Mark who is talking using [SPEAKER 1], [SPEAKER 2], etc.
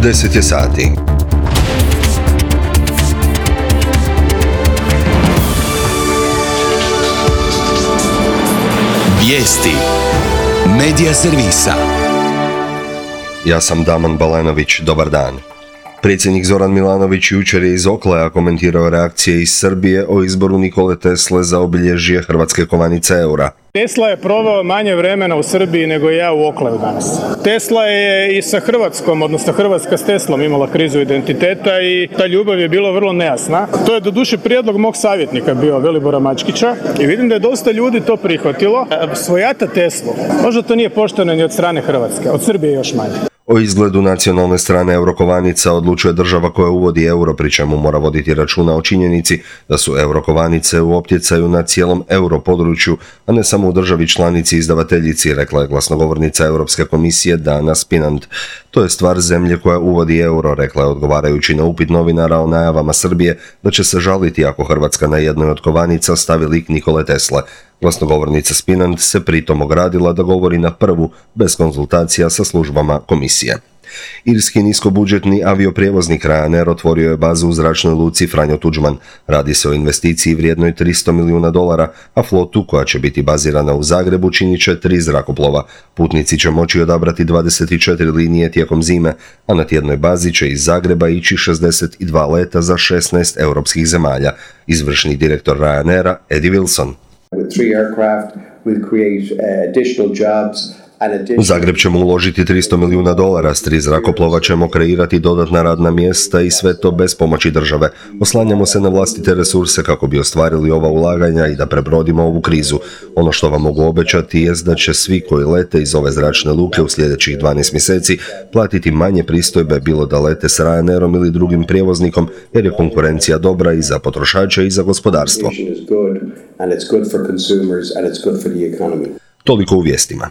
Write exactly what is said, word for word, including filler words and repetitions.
[SPEAKER 1] deset je sati.
[SPEAKER 2] Vijesti Medija servisa.
[SPEAKER 1] Ja sam Daman Balenović, dobar dan. Predsjednik Zoran Milanović jučer je iz Okleja komentirao reakcije iz Srbije o izboru Nikole Tesle za obilježje hrvatske kovanice eura.
[SPEAKER 3] Tesla je proveo manje vremena u Srbiji nego ja u Okleju danas. Tesla je i sa Hrvatskom, odnosno Hrvatska s Teslom imala krizu identiteta i ta ljubav je bila vrlo nejasna. To je doduše prijedlog mog savjetnika bio, Velibora Mačkića, i vidim da je dosta ljudi to prihvatilo. Svojata Teslu, možda to nije pošteno ni od strane Hrvatske, od Srbije još manje.
[SPEAKER 1] O izgledu nacionalne strane eurokovanica odlučuje država koja uvodi euro, pri čemu mora voditi računa o činjenici da su eurokovanice u optjecaju na cijelom europodručju, a ne samo u državi članici izdavateljici, rekla je glasnogovornica Europske komisije Dana Spinant. To je stvar zemlje koja uvodi euro, rekla je odgovarajući na upit novinara o najavama Srbije da će se žaliti ako Hrvatska na jednoj od kovanica stavi lik Nikole Tesle. Glasnogovornica Spinant se pritom ogradila da govori na prvu, bez konzultacija sa službama komisije. Irski niskobudžetni avioprijevoznik Ryanair otvorio je bazu u zračnoj luci Franjo Tuđman. Radi se o investiciji vrijednoj tristo milijuna dolara, a flotu koja će biti bazirana u Zagrebu činit će tri zrakoplova. Putnici će moći odabrati dvadeset četiri linije tijekom zime, a na tjednoj bazi će iz Zagreba ići šezdeset dva leta za šesnaest europskih zemalja. Izvršni direktor Ryanaira Eddie Wilson.
[SPEAKER 4] With three aircraft, we'll create uh, additional jobs.
[SPEAKER 1] U Zagreb ćemo uložiti tristo milijuna dolara, s tri zrakoplova ćemo kreirati dodatna radna mjesta i sve to bez pomoći države. Oslanjamo se na vlastite resurse kako bi ostvarili ova ulaganja i da prebrodimo ovu krizu. Ono što vam mogu obećati jest da će svi koji lete iz ove zračne luke u sljedećih dvanaest mjeseci platiti manje pristojbe, bilo da lete s Ryanairom ili drugim prijevoznikom, jer je konkurencija dobra i za potrošače i za gospodarstvo. Toliko u vijestima.